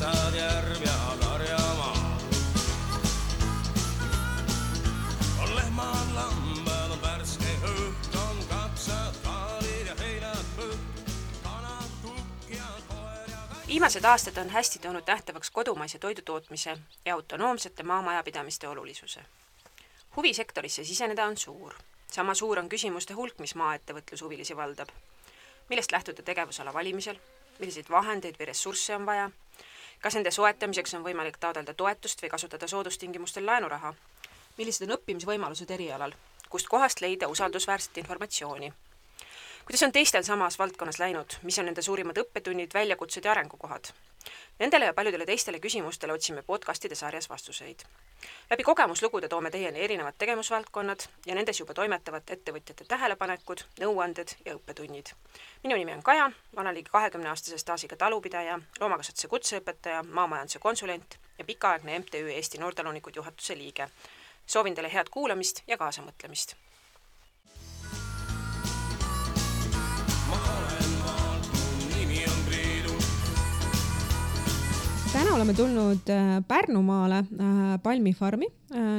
metsad, järv ja karjamaa. On lehmad, lambad, on värske õht, on kapsad, kaalid ja heinad põht, kanad, kukk ja koer ja katt. Viimased aastad on hästi toonud nähtavaks kodumaise toidutootmise ja autonoomsete maamajapidamiste olulisuse. Huvi sektorisse siseneda on suur. Sama suur on küsimuste hulk, mis maaettevõtlushuvilisi valdab. Millest lähtuda tegevusala valimisel? Milliseid vahendeid või ressursse on vaja? Kas nende soetamiseks on võimalik taotleda toetust või kasutada soodustingimustel laenuraha? Millised on õppimisvõimalused erialal? Kust kohast leida usaldusväärset informatsiooni? Kuidas on teistel samas valdkonnas läinud? Mis on nende suurimad õppetunnid, väljakutsed ja arengukohad? Nendele ja paljudele teistele küsimustele otsime podcastide sarjas vastuseid. Läbi kogemuslugude toome teieni erinevad tegevusvaldkonnad ja nendes juba toimetavad ettevõtjate tähelepanekud, nõuanded ja õppetunnid. Minu nimi on Kaja, ma olen ligi 20-aastase staažiga talupidaja, loomakasvatuse kutseõpetaja, maamajanduse konsulent ja pikaaegne MTÜ Eesti Noortalunikud juhatuse liige. Soovin teile head kuulamist ja kaasamõtlemist. Täna oleme tulnud Pärnumaale Palmifarmi,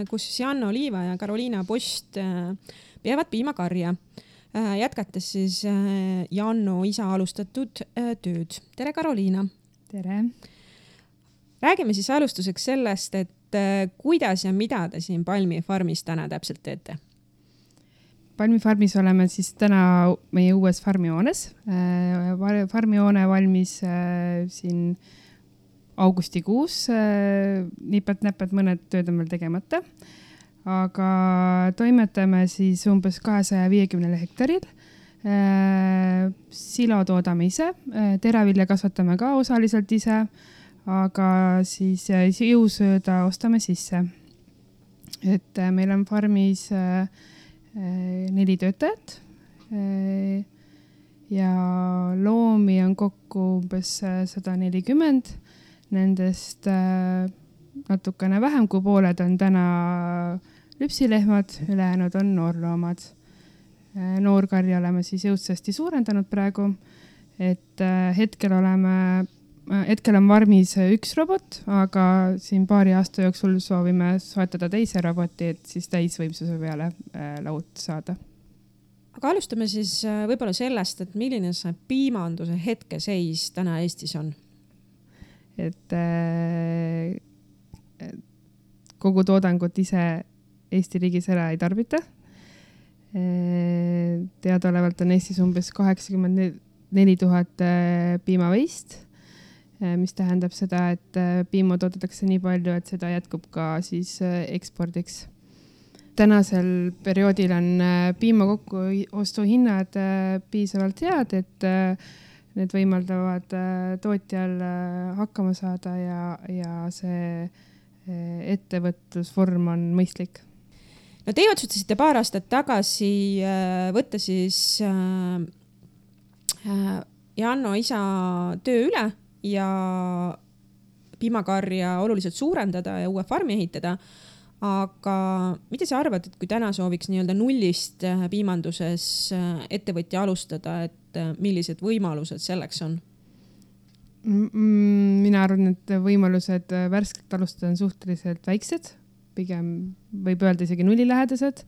kus Janno Liiva ja Karoliina Post peavad piimakarja, jätkates siis Janno isa alustatud tööd. Tere, Karoliina! Tere! Räägime siis alustuseks sellest, et kuidas ja mida te siin Palmifarmis täna täpselt teete? Palmifarmis oleme siis täna meie uues farmihoones. Farmihoone valmis siin augustikuus, nipet-näpet mõned tööd on veel tegemata, aga toimetame siis umbes 250 hektaril. Silo toodame ise, teravilja kasvatame ka osaliselt ise, aga siis jõusööda ostame sisse. Et meil on farmis 4 töötajat ja loomi on kokku umbes 140. Nendest natukene vähem kui pooled on täna lüpsilehmad, ülejäänud on noorloomad. Noorkarja oleme siis jõudsasti suurendanud praegu, et hetkel on varmis 1 robot, aga siin paari aasta jooksul soovime soetada teise roboti, et siis täisvõimsuse peale laud saada. Aga alustame siis võib-olla sellest, et milline see piimanduse hetkeseis täna Eestis on? Et kogu toodangut ise Eesti riigis ära ei tarbita. Teadaolevalt on Eestis umbes 84 000 piimaveist, mis tähendab seda, et piima toodetakse nii palju, et seda jätkub ka siis ekspordiks. Tänasel perioodil on piima kokkuostuhinnad piisavalt head, et need võimaldavad tootjal hakkama saada ja see ettevõtlusvorm on mõistlik. No teie otsustasite paar aastat tagasi võtta siis Janno isa töö üle ja piimakarja oluliselt suurendada ja uue farmi ehitada. Aga mida sa arvad, et kui täna sooviks nii-öelda nullist piimanduses ettevõtja alustada, et millised võimalused selleks on? Mina arvan, et võimalused värskelt alustada on suhteliselt väiksed, pigem võib öelda isegi nullilähedased.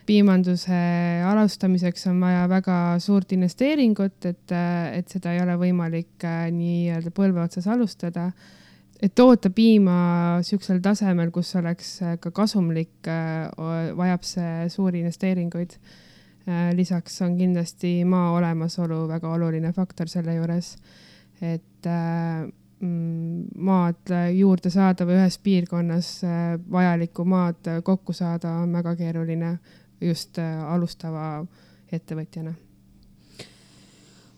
Piimanduse alustamiseks on vaja väga suurt investeeringut, et seda ei ole võimalik nii põlve otsas alustada. Et toota piima siuksel tasemel, kus oleks ka kasumlik, vajab see suuri investeeringuid. Lisaks on kindlasti maa olemasolu väga oluline faktor selle juures, et maad juurde saada või ühes piirkonnas vajalikku maad kokku saada on väga keeruline just alustava ettevõtjana.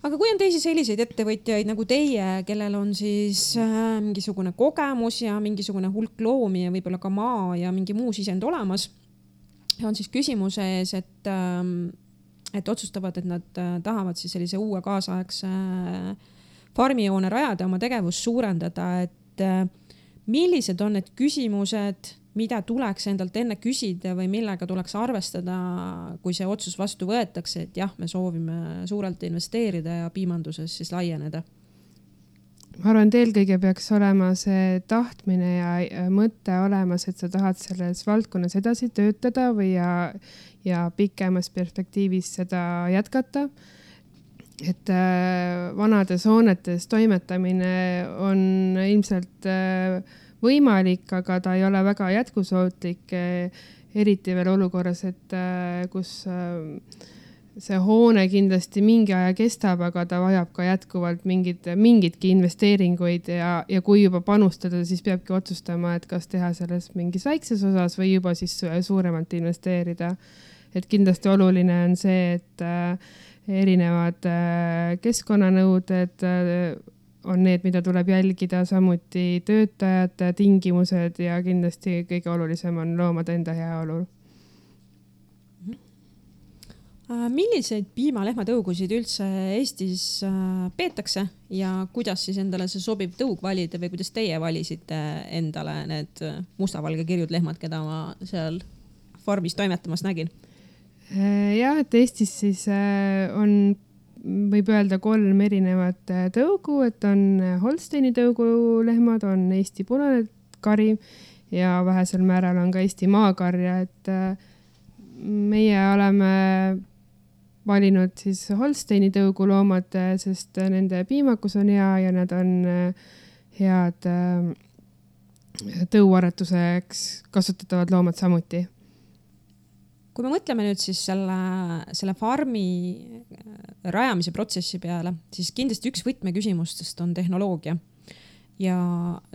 Aga kui on teisi selliseid ettevõtjaid nagu teie, kellel on siis mingisugune kogemus ja mingisugune hulk loomi ja võib-olla ka maa ja mingi muu sisend olemas, on siis küsimuse ees, et otsustavad, et nad tahavad siis sellise uue kaasaegse farmihoone rajada, oma tegevust suurendada, et millised on need küsimused, mida tuleks endalt enne küsida või millega tuleks arvestada, kui see otsus vastu võetakse, et jah, me soovime suurelt investeerida ja piimanduses siis laieneda? ma arvan, et eelkõige peaks olema see tahtmine ja mõte olemas, et sa tahad selles valdkonnas edasi töötada või ja pikemas perspektiivis seda jätkata. Et vanades hoonetes toimetamine on ilmselt võimalik, aga ta ei ole väga jätkusuutlik, eriti veel olukorras, et kus see hoone kindlasti mingi aja kestab, aga ta vajab ka jätkuvalt mingitki investeeringuid ja kui juba panustada, siis peabki otsustama, et kas teha selles mingis väikses osas või juba siis suuremalt investeerida. Et kindlasti oluline on see, et erinevad keskkonnanõuded on need, mida tuleb jälgida, samuti töötajate tingimused ja kindlasti kõige olulisem on loomade enda heaolu. Milliseid piima-lehmatõugusid üldse Eestis peetakse ja kuidas siis endale see sobiv tõug valida või kuidas teie valisite endale need mustavalge kirjud lehmad, keda ma seal farmis toimetamas nägin? Jah, et Eestis siis on, võib öelda 3 erinevat tõugu, et on Holsteini tõugu lehmad, on Eesti punane kari ja vähesel määral on ka Eesti maakarja, et meie oleme valinud siis Holsteini tõugu loomad, sest nende piimakus on hea ja nad on head tõuaretuseks kasutatavad loomad samuti. Kui me mõtleme nüüd siis selle farmi rajamise protsessi peale, siis kindlasti üks võtmeküsimustest on tehnoloogia. Ja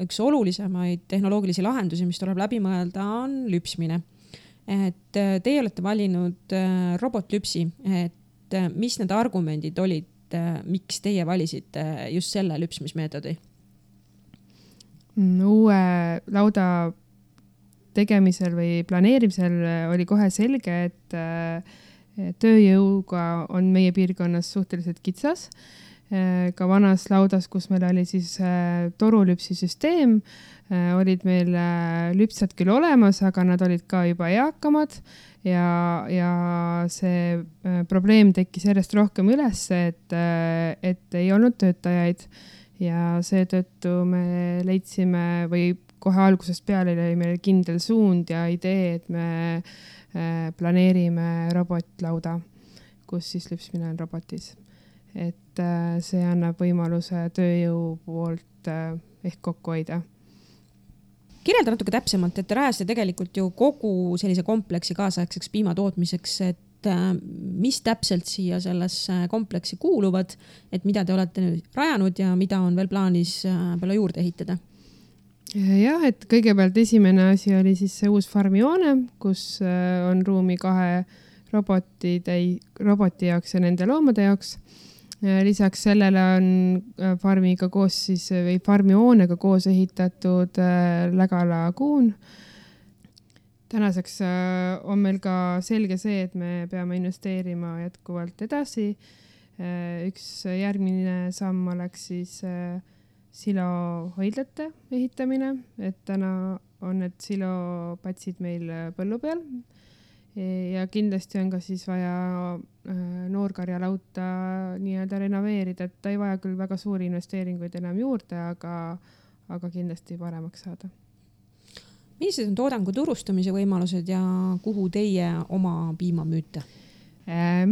üks olulisemaid tehnoloogilisi lahendusi, mis tuleb läbi mõelda, on lüpsmine. Et teie olete valinud robotlüpsi, et mis need argumendid olid, miks teie valisite just selle lüpsmismeetodi? Uue lauda tegemisel või planeerimisel oli kohe selge, et tööjõuga on meie piirkonnas suhteliselt kitsas. Ka vanas laudas, kus meil oli siis torulüpsisüsteem, olid meil lüpsad küll olemas, aga nad olid ka juba eakamad ja see probleem tekkis järjest rohkem üles, et ei olnud töötajaid ja seetõttu me leidsime või kohe algusest peale oli meil kindel suund ja idee, et me planeerime robotlauda, kus siis lüpsmine on robotis. Et see annab võimaluse tööjõu poolt ehk kokku hoida. Kirjelda natuke täpsemalt, et te rajasite tegelikult ju kogu sellise kompleksi kaasaegseks piimatootmiseks, et mis täpselt siia sellesse kompleksi kuuluvad, et mida te olete rajanud ja mida on veel plaanis peale juurde ehitada? Jah, et kõigepealt esimene asi oli siis see uus farmihoone, kus on ruumi 2 roboti jaoks ja nende loomade jaoks. Lisaks sellele on farmiga koos siis või farmihoonega koos ehitatud Lägala kuun. Tänaseks on meil ka selge see, et me peame investeerima jätkuvalt edasi. Üks järgmine samm oleks siis silohoidlate ehitamine, et täna on need silopatsid meil põllu peal. Ja kindlasti on ka siis vaja noorkarjalauta nii-öelda renoveerida, et ta ei vaja küll väga suuri investeeringuid enam juurde, aga kindlasti paremaks saada. Millised on toodangu turustamise võimalused ja kuhu teie oma piima müüte?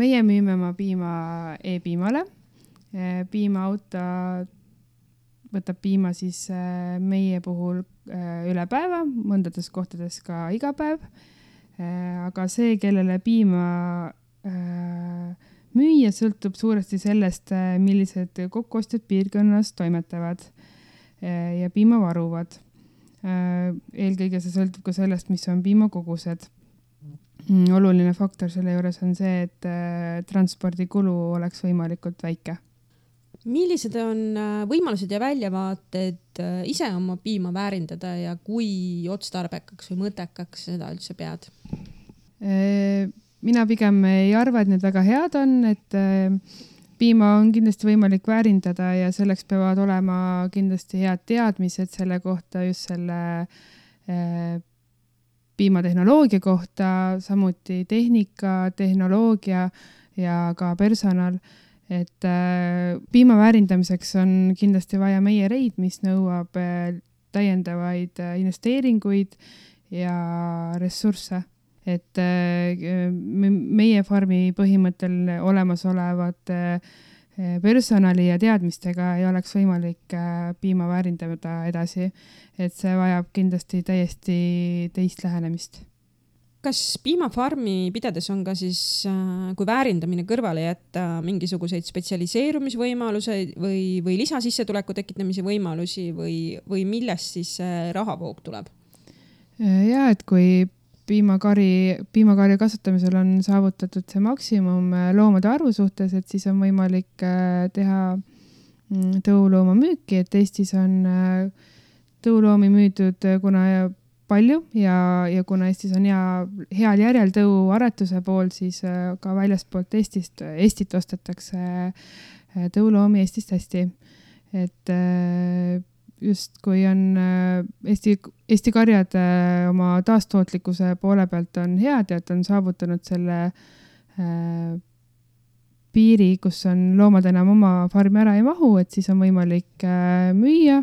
Meie müüme oma piima e-piimale. Piimaauto võtab piima siis meie puhul üle päeva, mõndades kohtades ka iga päev. Aga see, kellele piima müüa, sõltub suuresti sellest, millised kokkuostjad piirkonnas toimetavad ja piima varuvad. Eelkõige see sõltub ka sellest, mis on piimakogused. Oluline faktor selle juures on see, et transpordikulu oleks võimalikult väike. Millised on võimalused ja väljavaated ise oma piima väärindada ja kui otstarbekaks või mõttekaks seda üldse pead? Mina pigem ei arva, et need väga head on, et piima on kindlasti võimalik väärindada ja selleks peavad olema kindlasti head teadmised selle kohta, just selle piimatehnoloogia kohta, samuti tehnika, tehnoloogia ja ka personal. et piima väärindamiseks on kindlasti vaja meiereid, mis nõuab täiendavaid investeeringuid ja ressursse. Et meie farmi põhimõttel olemasolevad personali ja teadmistega ei oleks võimalik piima väärindada edasi, et see vajab kindlasti täiesti teist lähenemist. Kas piimafarmi pidades on ka siis, kui väärindamine kõrvale jätta, mingisuguseid spetsialiseerumisvõimaluse või lisasissetuleku tekitamise võimalusi või millest siis rahavoog tuleb? Ja, et kui piimakarja kasvatamisel on saavutatud see maksimum loomade arvu suhtes, et siis on võimalik teha tõulooma müüki, et Eestis on tõuloomi müüdud kuna palju ja kuna Eestis on heal järjel tõuaretuse pool, siis ka väljaspoolt Eestit ostetakse tõuloomi Eestist hästi. Et just kui on Eesti karjad oma taastootlikkuse poole pealt on head ja et on saavutanud selle piiri, kus on loomad enam oma farmi ära ei mahu, et siis on võimalik müüa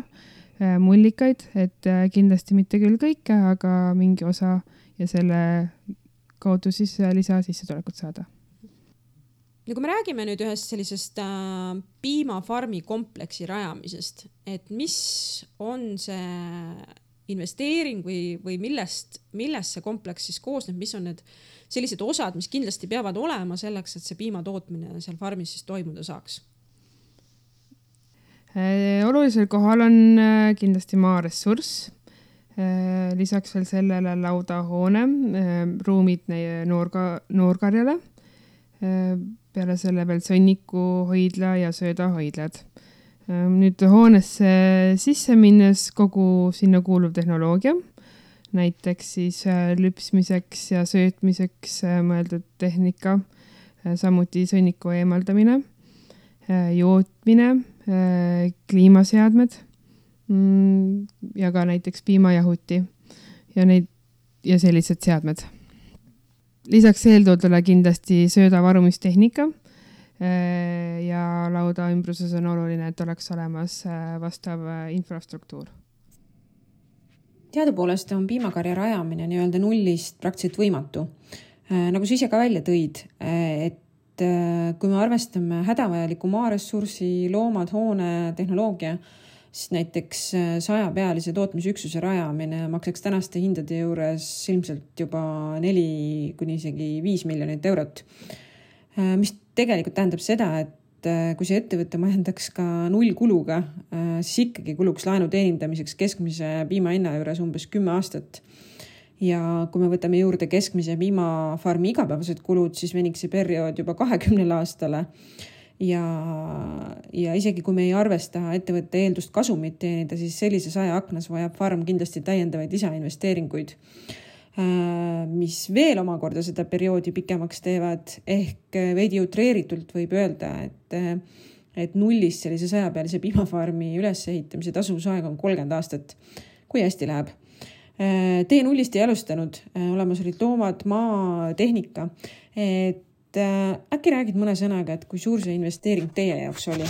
mullikaid, et kindlasti mitte küll kõike, aga mingi osa ja selle kaudu siis lisasissetulekut saada. Ja kui me räägime nüüd ühest sellisest piimafarmi kompleksi rajamisest, et mis on see investeering või millest see kompleks siis koosneb, mis on need sellised osad, mis kindlasti peavad olema selleks, et see piimatootmine seal farmis siis toimuda saaks? Olulisel kohal on kindlasti maaressurss, lisaks veel sellele laudahoone, ruumid noorkarjale, peale selle veel sõnnikuhoidla ja söödahoidlad. Nüüd hoonesse sisse minnes kogu sinna kuuluv tehnoloogia, näiteks siis lüpsmiseks ja söötmiseks mõeldud tehnika, samuti sõnniku eemaldamine, jootmine, kliimaseadmed ja ka näiteks piimajahuti ja sellised seadmed. Lisaks eeltoodule kindlasti söödavarumistehnika ja lauda ümbruses on oluline, et oleks olemas vastav infrastruktuur. Teadupoolest on piimakarja rajamine nii-öelda nullist praktiliselt võimatu. Nagu sa ise ka välja tõid, et kui me arvestame hädavajaliku maaressursi, loomad, hoone, tehnoloogia, siis näiteks 100-pealise tootmisüksuse rajamine maksaks tänaste hindade juures ilmselt juba 4 kuni isegi 5 miljonit eurot. Mis tegelikult tähendab seda, et kui see ettevõte majandaks ka nullkuluga, siis ikkagi kuluks laenu teenindamiseks keskmise piimahinna juures umbes 10 aastat. Ja kui me võtame juurde keskmise piimafarmi igapäevased kulud, siis veniks see periood juba 20 aastale. Ja isegi kui me ei arvesta ettevõtte eeldust kasumit teenida, siis sellise 100 aknas vajab farm kindlasti täiendavaid lisainvesteeringuid, mis veel omakorda seda perioodi pikemaks teevad. Ehk veidi utreeritult võib öelda, et nullist sellise 100-pealise piimafarmi ülesehitamise tasuvusaeg on 30 aastat, kui hästi läheb. Tee nullist ei alustanud, olemas olid loomad, maa, tehnika. Et äkki räägid mõne sõnaga, et kui suur see investeering teie jaoks oli?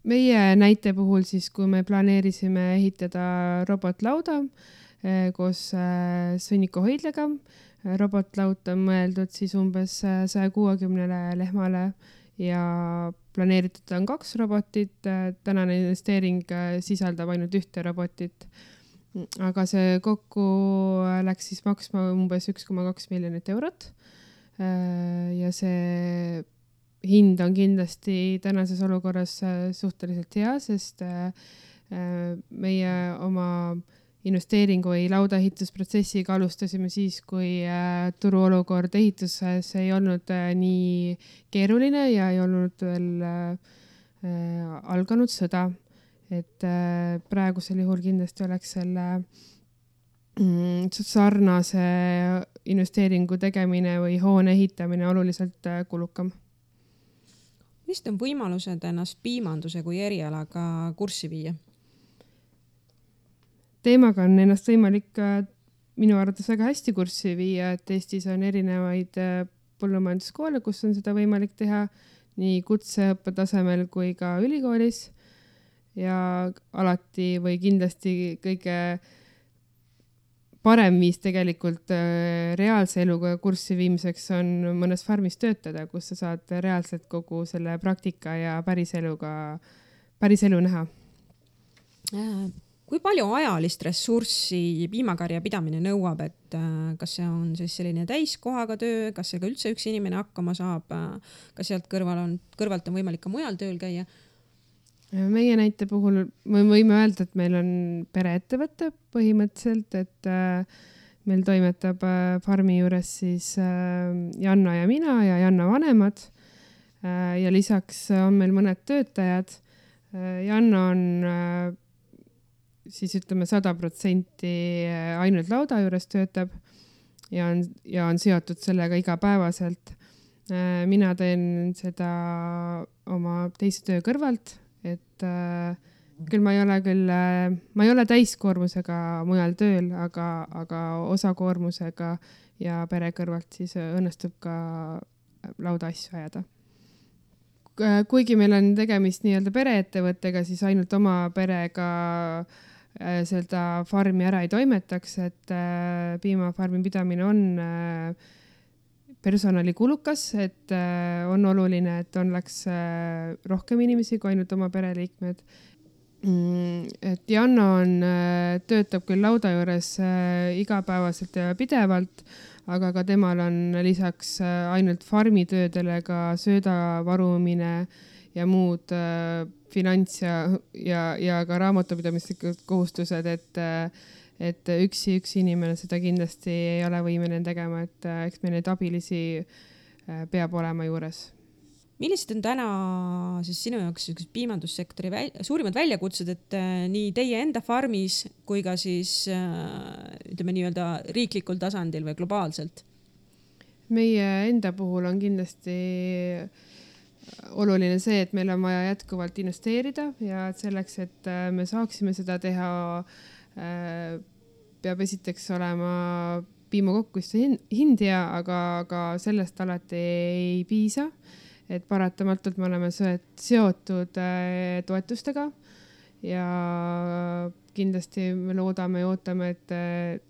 Meie näite puhul siis, kui me planeerisime ehitada robotlauda koos sõnnikuhoidlaga, robotlaud on mõeldud siis umbes 160 lehmale ja planeeritud on 2 robotit, tänane investeering sisaldab ainult 1 robotit, aga see kokku läks siis maksma umbes 1,2 miljonit eurot ja see hind on kindlasti tänases olukorras suhteliselt hea, sest meie oma investeeringu või laudaehitusprotsessiga alustasime siis, kui turuolukord ehituses ei olnud nii keeruline ja ei olnud veel alganud sõda. Et praegusel juhul kindlasti oleks selle sarnase investeeringu tegemine või hoone ehitamine oluliselt kulukam. Mis on võimalused ennast piimanduse kui erialaga kurssi viia? Teemaga on ennast võimalik minu arvates väga hästi kurssi viia, et Eestis on erinevaid põllumajanduskoole, kus on seda võimalik teha nii kutseõppe tasemel kui ka ülikoolis ja alati või kindlasti kõige parem viis tegelikult reaalse eluga kurssi viimiseks on mõnes farmis töötada, kus sa saad reaalselt kogu selle praktika ja päris elu näha. Kui palju ajalist ressurssi piimakarja pidamine nõuab, et kas see on siis selline täiskohaga töö, kas see ka üldse üks inimene hakkama saab, kas sealt kõrvalt on võimalik ka mujal tööl käia? Meie näite puhul me võime öelda, et meil on pereettevõte põhimõtteliselt, et meil toimetab farmi juures siis Janna ja mina ja Janna vanemad ja lisaks on meil mõned töötajad. Janna on siis ütleme 100% ainult lauda juures töötab ja on seotud sellega igapäevaselt. Mina teen seda oma teise töö kõrvalt, et küll ma ei ole täiskoormusega mujal tööl, aga osakoormusega ja pere kõrvalt siis õnnestub ka lauda asju ajada. Kuigi meil on tegemist nii-öelda pereettevõttega, siis ainult oma perega seda farmi ära ei toimetaks, et piimafarmi pidamine on personalikulukas, et on oluline, et oleks rohkem inimesi kui ainult oma pereliikmed. Et Janna töötab küll lauda juures igapäevaselt ja pidevalt, aga ka temal on lisaks ainult farmitöödele ka sööda varumine ja muud finants ja ka raamatupidamislikud kohustused, et üks inimene seda kindlasti ei ole võimeline tegema, et eks meil neid abilisi peab olema juures. Millised on täna siis sinu jaoks piimandussektori suurimad väljakutsed, et nii teie enda farmis kui ka siis ütleme nii-öelda riiklikul tasandil või globaalselt? Meie enda puhul on kindlasti oluline see, et meil on vaja jätkuvalt investeerida ja selleks, et me saaksime seda teha, peab esiteks olema piimakokkuiste hind hea, aga sellest alati ei piisa. Et paratamatult me oleme seotud toetustega ja kindlasti me loodame ja ootame, et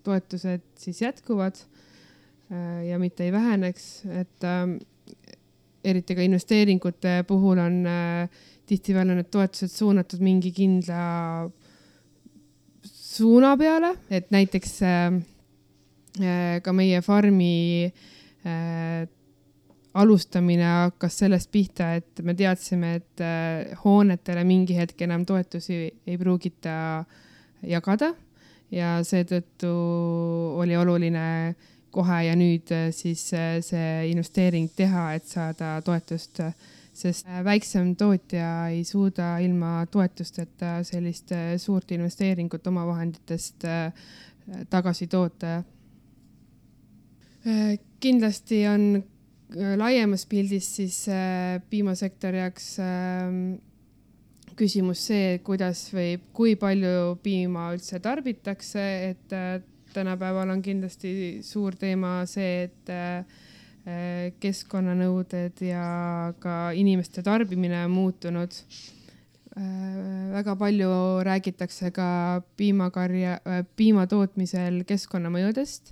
toetused siis jätkuvad ja mitte ei väheneks, et eriti ka investeeringute puhul on tihtipeale need toetused suunatud mingi kindla suuna peale, et näiteks ka meie farmi alustamine hakkas sellest pihta, et me teadsime, et hoonetele mingi hetk enam toetusi ei pruugita jagada ja seetõttu oli oluline kohe ja nüüd siis see investeering teha, et saada toetust, sest väiksem tootja ei suuda ilma toetusteta sellist suurt investeeringut oma vahenditest tagasi toota. Kindlasti on laiemas pildis siis piimasektori jaoks küsimus see, kuidas või kui palju piima üldse tarbitakse, et tänapäeval on kindlasti suur teema see, et keskkonnanõuded ja ka inimeste tarbimine on muutunud. Väga palju räägitakse ka piima tootmisel keskkonnamõjudest,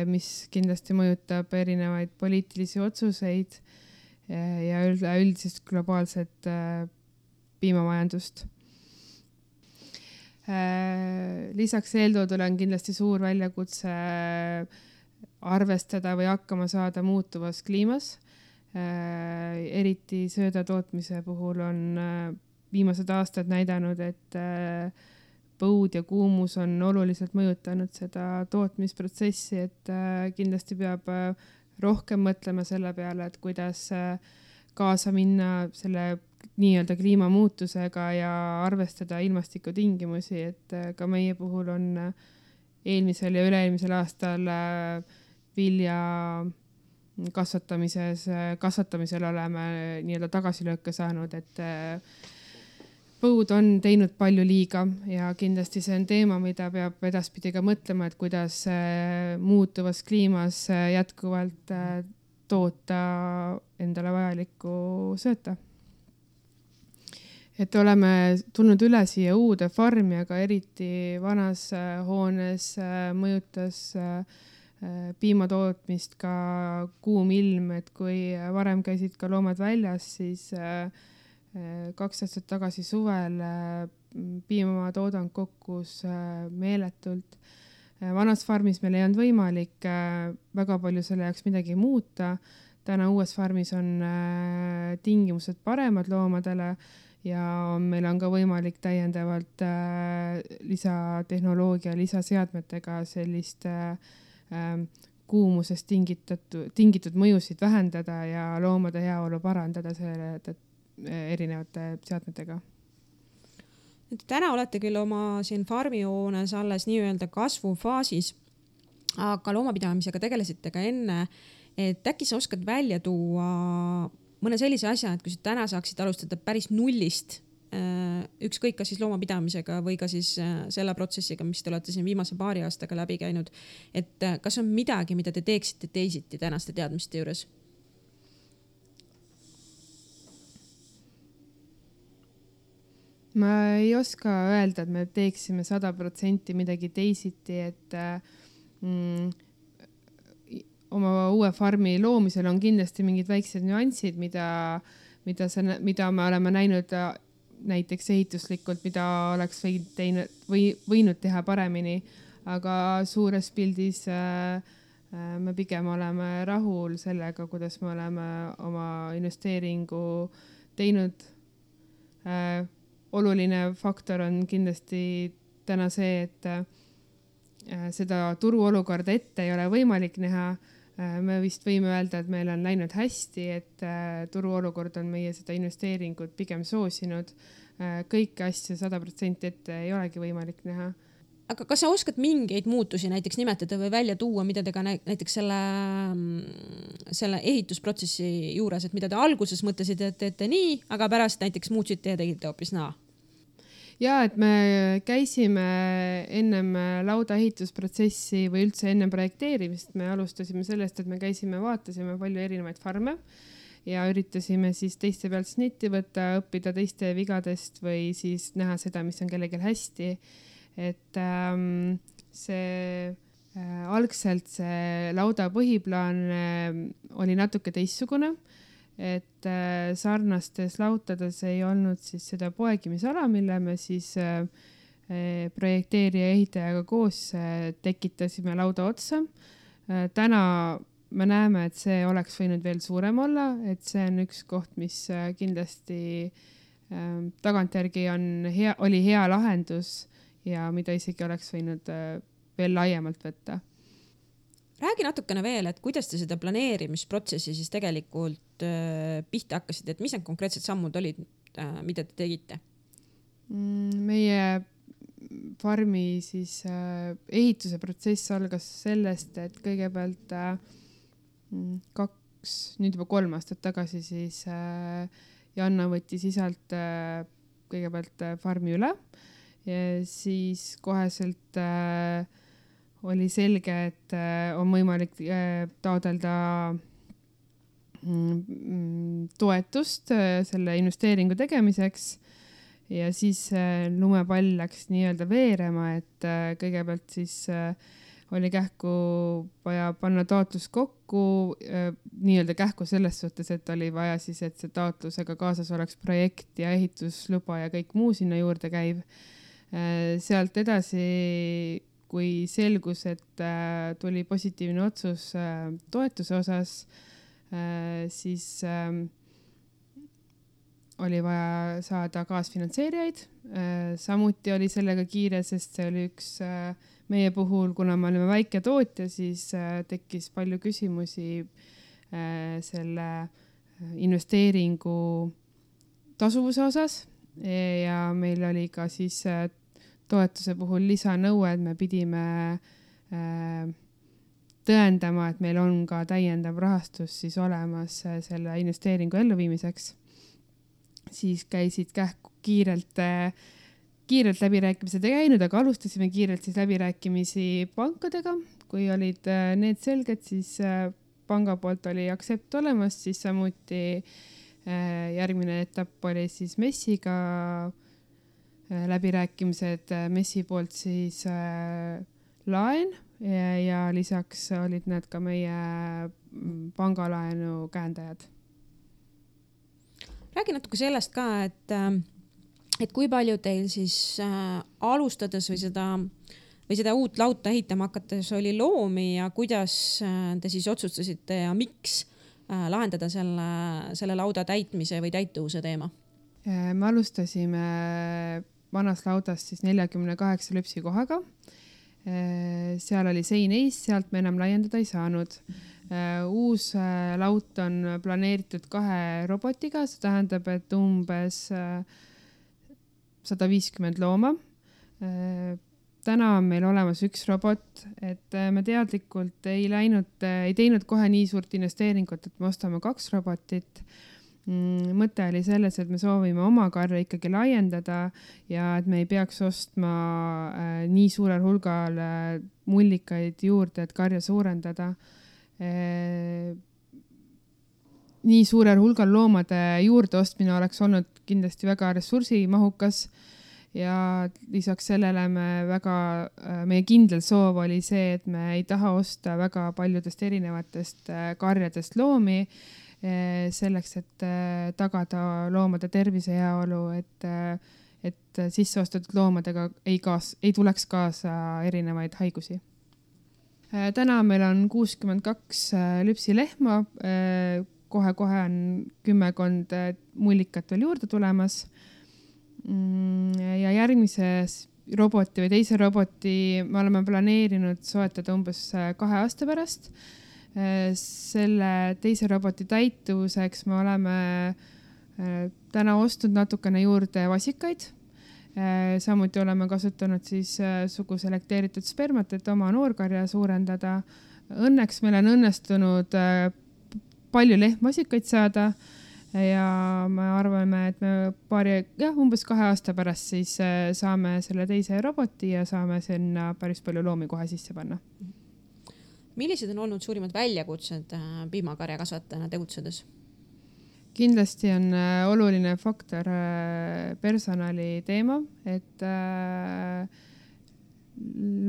mis kindlasti mõjutab erinevaid poliitilisi otsuseid ja üldist globaalset piimamajandust. Lisaks eeltoodule on kindlasti suur väljakutse arvestada või hakkama saada muutuvas kliimas. Eriti sööda tootmise puhul on viimased aastad näidanud, et põud ja kuumus on oluliselt mõjutanud seda tootmisprotsessi, et kindlasti peab rohkem mõtlema selle peale, et kuidas kaasa minna selle nii-öelda kliimamuutusega ja arvestada ilmastikutingimusi, et ka meie puhul on eelmisel ja üle-eelmisel aastal vilja kasvatamisel oleme nii-öelda tagasilööke saanud, et põud on teinud palju liiga ja kindlasti see on teema, mida peab edaspidi ka mõtlema, et kuidas muutuvas kliimas jätkuvalt toota endale vajalikku sööta. Et oleme tulnud üle siia uude farmi, aga eriti vanas hoones mõjutas piimatootmist ka kuum ilm, et kui varem käisid ka loomad väljas, siis 2 aastat tagasi suvel piimatoodang kokkus meeletult. Vanas farmis meil ei olnud võimalik väga palju selle jaoks midagi muuta. Täna uues farmis on tingimused paremad loomadele ja meil on ka võimalik täiendavalt lisatehnoloogia, lisaseadmetega sellist kuumusest tingitud mõjusid vähendada ja loomade heaolu parandada selle erinevate seadmetega. Täna olete küll oma siin farmihoones alles nii-öelda kasvufaasis, aga loomapidamisega tegelesite ka enne, et äkki sa oskad välja tuua mõne sellise asja, et kui sa täna saaksid alustada päris nullist, ükskõik kas siis loomapidamisega või ka siis selle protsessiga, mis te olete siin viimase 2 aastaga läbi käinud, et kas on midagi, mida te teeksite teisiti tänaste teadmiste juures? Ma ei oska öelda, et me teeksime 100% midagi teisiti, et oma uue farmi loomisel on kindlasti mingid väiksed nüansid, mida me oleme näinud näiteks ehituslikult, mida oleks võinud teha paremini, aga suures pildis me pigem oleme rahul sellega, kuidas me oleme oma investeeringu teinud. Oluline faktor on kindlasti täna see, et seda turuolukorda ette ei ole võimalik näha. Me vist võime öelda, et meil on läinud hästi, et turuolukord on meie seda investeeringut pigem soosinud. Kõiki asju 100% ette ei olegi võimalik näha. Aga kas sa oskad mingeid muutusi näiteks nimetada või välja tuua, mida te ka näiteks selle ehitusprotsessi juures, et mida te alguses mõtlesite, et teete nii, aga pärast näiteks muutsite ja tegite hoopis naa? Ja, et me käisime ennem lauda ehitusprotsessi või üldse ennem projekteerimist. Me alustasime sellest, et me käisime, vaatasime palju erinevaid farme ja üritasime siis teiste pealt snitti võtta, õppida teiste vigadest või siis näha seda, mis on kellelgi hästi. Et algselt see lauda põhiplaan oli natuke teistsugune, et sarnastes lautades ei olnud siis seda poegimisala, mille me siis projekteerija ehitajaga koos tekitasime lauda otsa. Täna me näeme, et see oleks võinud veel suurem olla, et see on üks koht, mis kindlasti tagantjärgi oli hea lahendus ja mida isegi oleks võinud veel laiemalt võtta. Räägi natukene veel, et kuidas te seda planeerimisprotsessi siis tegelikult pihta hakkasite, et mis need konkreetsed sammud olid, mida te tegite? Meie farmi siis ehituse protsess algas sellest, et kõigepealt nüüd juba 3 aastat tagasi siis Janna võttis isalt kõigepealt farmi üle ja siis koheselt oli selge, et on võimalik taotleda toetust selle investeeringu tegemiseks ja siis lumepall läks nii-öelda veerema, et kõigepealt siis oli kähku vaja panna taotlus kokku, nii-öelda kähku selles suhtes, et oli vaja siis, et see taotlusega kaasas oleks projekt ja ehitusluba ja kõik muu sinna juurde käiv. Sealt edasi, kui selgus, et tuli positiivne otsus toetuse osas, siis oli vaja saada kaasfinantseerijaid. Samuti oli sellega kiire, sest see oli üks meie puhul, kuna me olime väike tootja, siis tekkis palju küsimusi selle investeeringu tasuvuse osas ja meil oli ka siis toetuse puhul lisanõue, et me pidime tõendama, et meil on ka täiendav rahastus siis olemas selle investeeringu elluviimiseks. Siis käisid kähku kiirelt läbirääkimised ei käinud, aga alustasime kiirelt siis läbirääkimisi pankadega. Kui olid need selged, siis panga poolt oli aktsept olemas, siis samuti järgmine etapp oli siis MES-iga läbirääkimised, MES-i poolt siis laen ja lisaks olid need ka meie pangalaenu käendajad. Räägi natuke sellest ka, et kui palju teil siis alustades või seda uut lauta ehitama hakates oli loomi ja kuidas te siis otsustasite ja miks lahendada selle lauda täitmise või täituvuse teema? Me alustasime vanas laudas siis 48 lüpsikohaga. Seal oli sein ees, sealt me enam laiendada ei saanud. Uus laut on planeeritud 2 robotiga, see tähendab, et umbes 150 looma. Täna on meil olemas 1 robot, et me teadlikult ei teinud kohe nii suurt investeeringut, et me ostame 2 robotit. Mõte oli selles, et me soovime oma karja ikkagi laiendada ja et me ei peaks ostma nii suurel hulgal mullikaid juurde, et karja suurendada. Nii suurel hulgal loomade juurde ostmine oleks olnud kindlasti väga ressursimahukas ja lisaks sellele meie kindel soov oli see, et me ei taha osta väga paljudest erinevatest karjadest loomi, selleks, et tagada loomade tervise heaolu, et sisseostetud loomadega ei tuleks kaasa erinevaid haigusi. Täna meil on 62 lüpsilehma, kohe on 10 mullikat veel juurde tulemas. Ja järgmises roboti või teise roboti me oleme planeerinud soetada umbes 2 aasta pärast. Selle teise roboti täituvuseks me oleme täna ostnud natukene juurde vasikaid. Samuti oleme kasutanud siis suguselekteeritud spermat, et oma noorkarja suurendada. Õnneks meil on õnnestunud palju lehmvasikaid saada ja me arvame, et me umbes 2 aasta pärast siis saame selle teise roboti ja saame sinna päris palju loomi kohe sisse panna. Millised on olnud suurimad väljakutsed piimakarja kasvatajana tegutsedes? Kindlasti on oluline faktor personali teema, et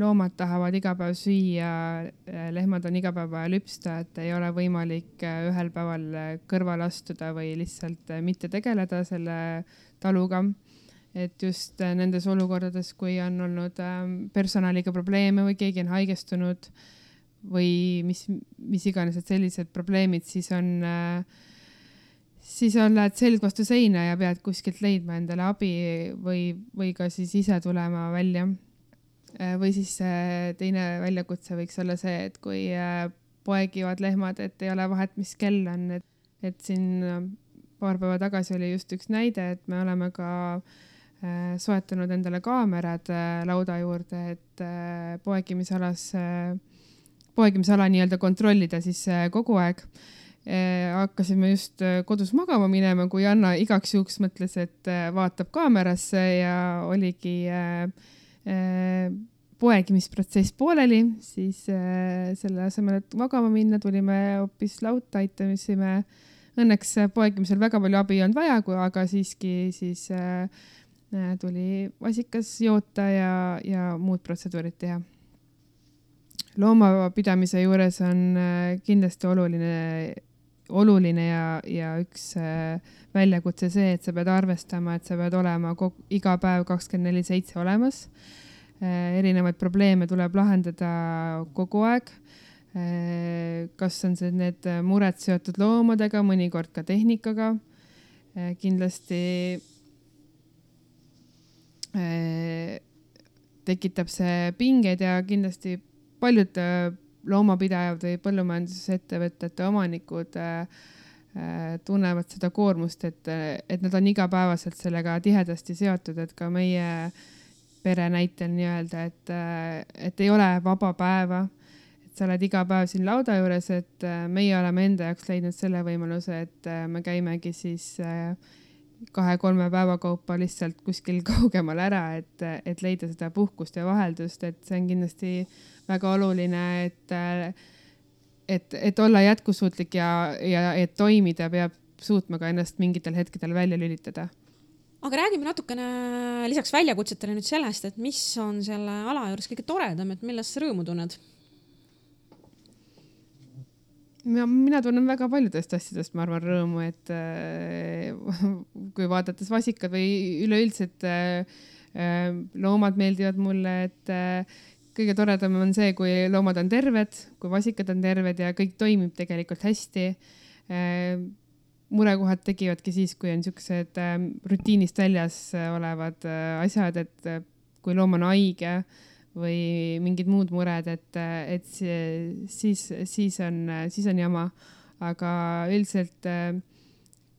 loomad tahavad iga päev süüa, lehmad on iga päev lüpsta, et ei ole võimalik ühel päeval kõrval astuda või lihtsalt mitte tegeleda selle taluga. Et just nendes olukordades, kui on olnud personaliga probleeme või keegi on haigestunud või mis iganes, et sellised probleemid, siis lähed selg vastu seina ja pead kuskilt leidma endale abi või ka siis ise tulema välja. Või siis teine väljakutse võiks olla see, et kui poegivad lehmad, et ei ole vahet, mis kell on, et siin paar päeva tagasi oli just üks näide, et me oleme ka soetanud endale kaamerad lauda juurde, et poegimisala nii-öelda kontrollida siis kogu aeg. Hakkasime just kodus magama minema, kui Anna igaks juhuks mõtles, et vaatab kaamerasse ja oligi poegimisprotsess pooleli, siis selle asemel, et magama minna, tulime hoopis lauta, aitasime. Õnneks poegimisel väga palju abi ei olnud vaja, aga siiski siis tuli vasikas joota ja muud protseduurid teha. Loomapidamise juures on kindlasti oluline ja üks väljakutse see, et sa pead arvestama, et sa pead olema iga päev 24/7 olemas. Erinevaid probleeme tuleb lahendada kogu aeg. Kas on need mured seotud loomadega, mõnikord ka tehnikaga. Kindlasti tekitab see pingeid ja kindlasti paljud loomapidajad või põllumajandusettevõtete omanikud tunnevad seda koormust, et nad on igapäevaselt sellega tihedasti seotud, et ka meie pere näitel nii-öelda, et ei ole vaba päeva, et sa oled iga päev siin lauda juures, et meie oleme enda jaoks leidnud selle võimaluse, et me käimegi siis 2-3 päeva kaupa lihtsalt kuskil kaugemal ära, et leida seda puhkust ja vaheldust, et see on kindlasti väga oluline, et olla jätkusuutlik ja et toimida, peab suutma ka ennast mingitel hetkedel välja lülitada. Aga räägime natukene lisaks väljakutsetele nüüd sellest, et mis on selle ala juures kõige toredam, et millest sa rõõmu tunned? Mina tunnen väga paljudest asjadest, ma arvan, rõõmu, et kui vaadates vasikad või üleüldiselt loomad meeldivad mulle, et kõige toredam on see, kui loomad on terved, kui vasikad on terved ja kõik toimib tegelikult hästi. Murekohad tegivadki siis, kui on niisugused rutiinist väljas olevad asjad, et kui loom on haige või mingid muud mured, et siis on jama. Aga üldiselt,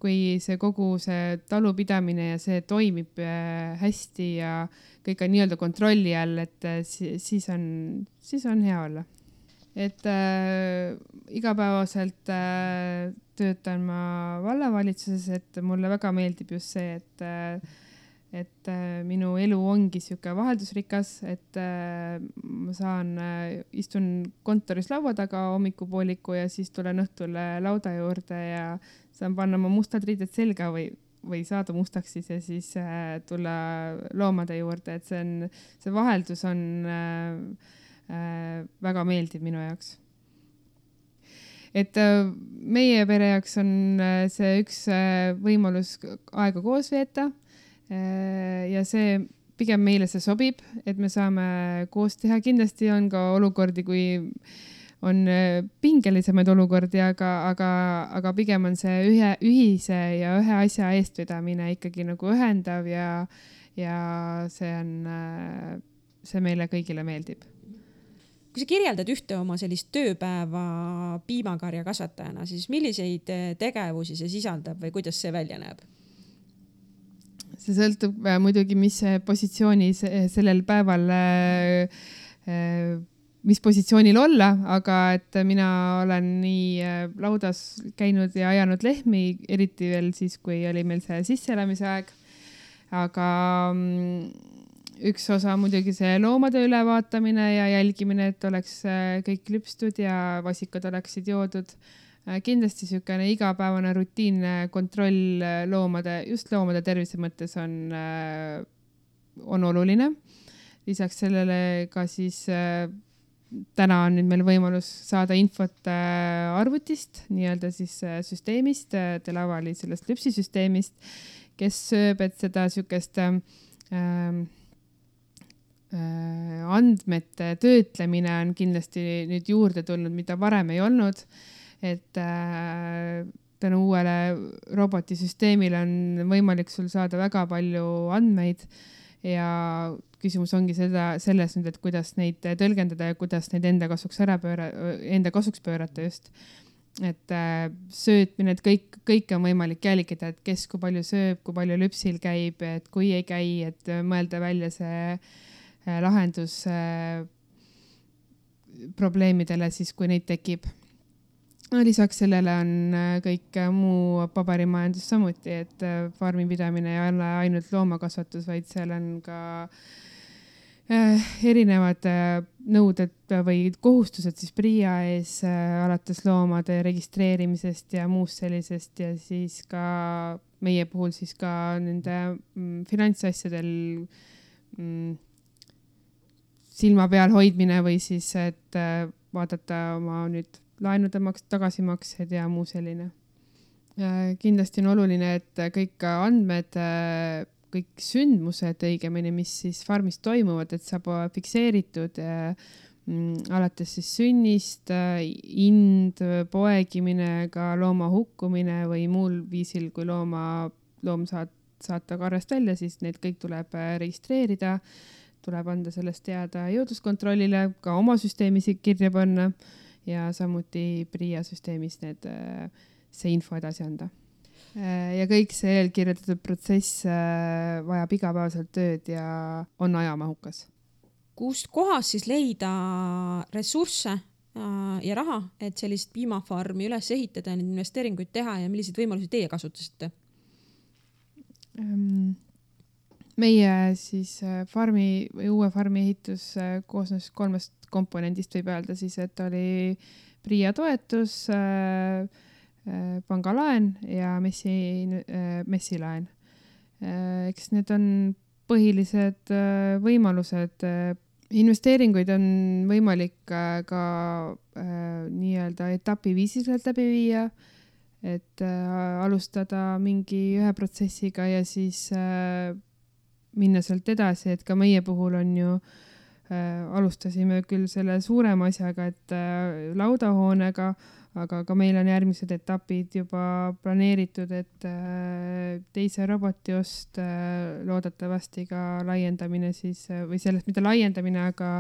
kui see kogu see talupidamine ja see toimib hästi ja kõik on nii-öelda kontrolli all, et siis on hea olla. Et igapäevaselt töötan ma vallavalitsuses, et mulle väga meeldib just see, et minu elu ongi siuke vaheldusrikas, et ma istun kontoris laua taga hommikupooliku ja siis tulen õhtul lauda juurde ja saan panna oma mustad riided selga või saada mustaks siis ja siis tulla loomade juurde, et see vaheldus on väga meeldib minu jaoks. Et meie pere jaoks on see üks võimalus aega koos veeta ja see pigem meile see sobib, et me saame koos teha. Kindlasti on ka olukordi, kui on pingelisemaid olukordi, aga pigem on see ühise ja ühe asja eestvedamine ikkagi nagu ühendav ja see meile kõigile meeldib. Kui sa kirjeldad ühte oma sellist tööpäeva piimakarja kasvatajana, siis milliseid tegevusi see sisaldab või kuidas see välja näeb? See sõltub muidugi, mis positsiooni sellel päeval, mis positsioonil olla, aga et mina olen nii laudas käinud ja ajanud lehmi, eriti veel siis, kui oli meil see sisseelamise aeg. Aga üks osa muidugi see loomade ülevaatamine ja jälgimine, et oleks kõik lüpstud ja vasikad oleksid joodud. Kindlasti niisugune igapäevane rutiinne kontroll just loomade tervise mõttes on oluline. Lisaks sellele ka siis täna on nüüd meil võimalus saada infot arvutist, nii-öelda siis süsteemist, Delavali sellest lüpsisüsteemist, kes sööb, et seda niisugust andmete töötlemine on kindlasti nüüd juurde tulnud, mida varem ei olnud, et tänu uuele robotisüsteemile on võimalik sul saada väga palju andmeid ja küsimus ongi selles nüüd, et kuidas neid tõlgendada ja kuidas neid enda kasuks pöörata just. Et söötmine, et kõik on võimalik jälgida, et kes kui palju sööb, kui palju lüpsil käib, et kui ei käi, et mõelda välja see lahendus probleemidele siis, kui neid tekib. Lisaks sellele on kõik muu paberimajandus samuti, et farmipidamine ei ole ainult loomakasvatus, vaid seal on ka erinevad nõuded või kohustused siis PRIA ees alates loomade registreerimisest ja muust sellisest ja siis ka meie puhul siis ka nende finantsasjadel silma peal hoidmine või siis, et vaadata oma nüüd laenude tagasimaksed ja muu selline. Kindlasti on oluline, et kõik andmed, kõik sündmused õigemini, mis siis farmis toimuvad, et saab fikseeritud alates siis sünnist, ind, poegimine, ka looma hukkumine või muul viisil, kui loom saata karjast välja, siis need kõik tuleb registreerida, tuleb anda sellest teada jõudluskontrollile, ka oma süsteemis kirja panna ja samuti PRIA süsteemis see info edasi anda. Ja kõik see eelkirjutatud protsess vajab igapäevaselt tööd ja on ajamahukas. Kust kohas siis leida ressursse ja raha, et sellist piimafarmi üles ehitada, neid investeeringuid teha ja milliseid võimalusi teie kasutasite? Meie siis uue farmi ehitus koosnes 3 komponendist võib öelda siis, et oli PRIA toetus, pangalaen ja messilaen. Eks need on põhilised võimalused. Investeeringuid on võimalik ka nii-öelda etapiviisiliselt läbi viia, et alustada mingi ühe protsessiga ja siis minna sealt edasi, et ka meie puhul on ju alustasime küll selle suurema asjaga, et laudahoonega, aga ka meil on järgmised etapid juba planeeritud, et teise roboti ost, loodetavasti ka laiendamine siis, või sellest mitte laiendamine, aga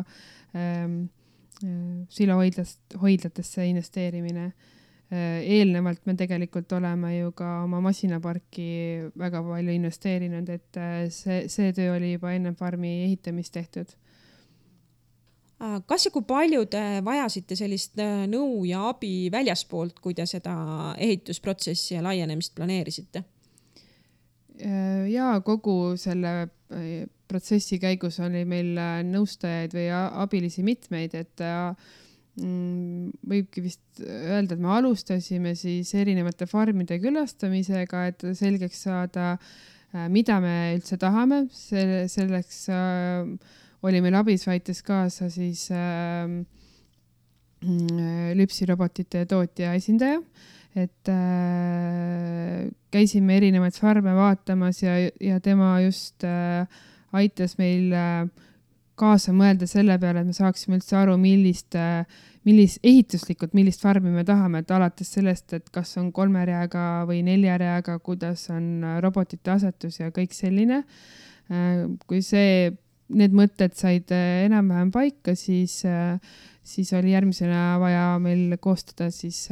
silohoidlatesse investeerimine. Eelnevalt me tegelikult oleme ju ka oma masinaparki väga palju investeerinud, et see töö oli juba enne farmi ehitamist tehtud. Kas ja kui palju te vajasite sellist nõu ja abi väljaspoolt, kui te seda ehitusprotsessi ja laienemist planeerisite? Ja kogu selle protsessi käigus oli meil nõustajaid või abilisi mitmeid, et võibki vist öelda, et me alustasime siis erinevate farmide külastamisega, et selgeks saada, mida me üldse tahame. Selleks oli meil abis väites kaasa siis lüpsirobotite tootja esindaja, et käisime erinevaid farme vaatamas ja tema just aitas meil kaasa mõelda selle peale, et me saaksime üldse aru, millist farmi me tahame, et alates sellest, et kas on 3 reaga või 4 reaga, kuidas on robotite asetus ja kõik selline. Kui need mõtted said enam-vähem paika, siis oli järgmisena vaja meil koostada siis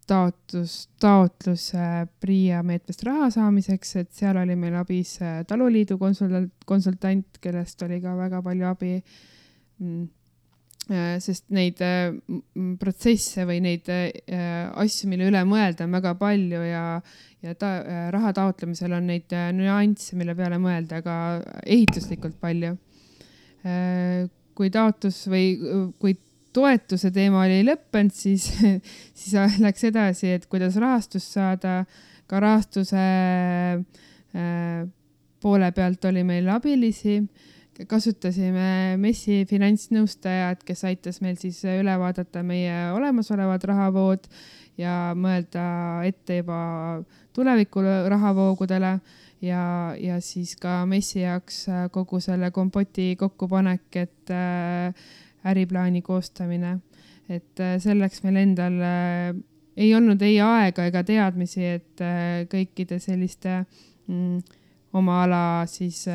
taotlus PRIA meetmest raha saamiseks, et seal oli meil abis taluliidu konsultant, kellest oli ka väga palju abi, sest neid protsesse või neid asju, mille üle mõelda on väga palju ja raha taotlemisel on neid nüansse, mille peale mõelda, aga ehituslikult palju. Kui kui toetuse teema oli lõppenud, siis läks edasi, et kuidas rahastust saada. Ka rahastuse poole pealt oli meil abilisi. Kasutasime MES-i finantsnõustajad, kes aitas meil siis üle vaadata meie olemasolevad rahavood ja mõelda ette juba tuleviku rahavoogudele ja siis ka MES-i jaoks kogu selle kompoti kokkupanek, et äriplaani koostamine. Et selleks meil endal ei olnud ei aega ega teadmisi, et kõikide selliste oma ala siis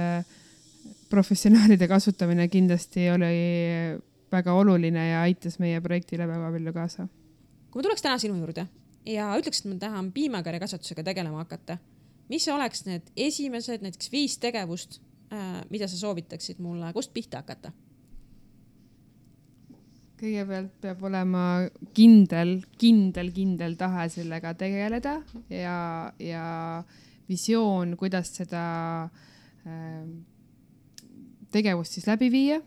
professionaalide kasutamine kindlasti oli väga oluline ja aitas meie projektile väga palju kaasa. Kui ma tuleks täna sinu juurde ja ütleks, et ma tahan piimakarjakasvatusega tegelema hakata, mis oleks need esimesed näiteks 5 tegevust, mida sa soovitaksid mulle, kust pihta hakata? Kõigepealt peab olema kindel tahe sellega tegeleda ja visioon, kuidas seda tegevust siis läbi viia.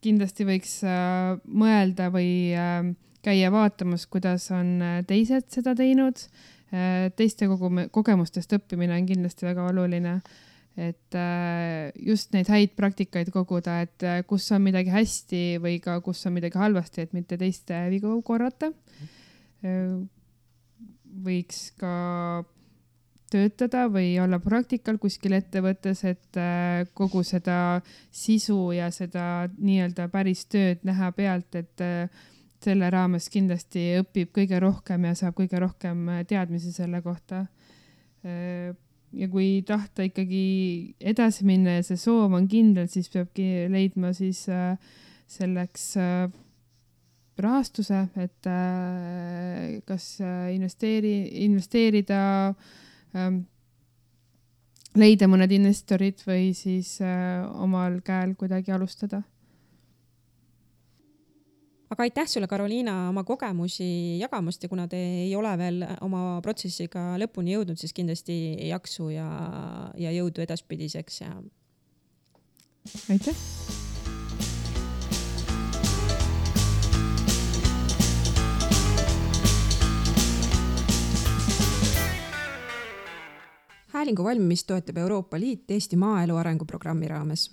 Kindlasti võiks mõelda või käia vaatamas, kuidas on teised seda teinud. Teiste kogemustest õppimine on kindlasti väga oluline, et just neid häid praktikaid koguda, et kus on midagi hästi või ka kus on midagi halvasti, et mitte teiste vigu korrata. Võiks ka töötada või olla praktikal kuskil ettevõttes, et kogu seda sisu ja seda nii-öelda päris tööd näha pealt, et selle raames kindlasti õpib kõige rohkem ja saab kõige rohkem teadmisi selle kohta. Ja kui tahta ikkagi edasi minna ja see soov on kindel, siis peabki leidma siis selleks rahastuse, et kas investeerida, leida mõned investorid või siis omal käel kuidagi alustada. Aga aitäh sulle, Karoliina, oma kogemusi jagamast ja kuna te ei ole veel oma protsessiga lõpuni jõudnud, siis kindlasti jaksu ja jõudu edaspidiseks. Ja... Aitäh! häälingu valmimist toetab Euroopa Liit Eesti maaelu arenguprogrammi raames.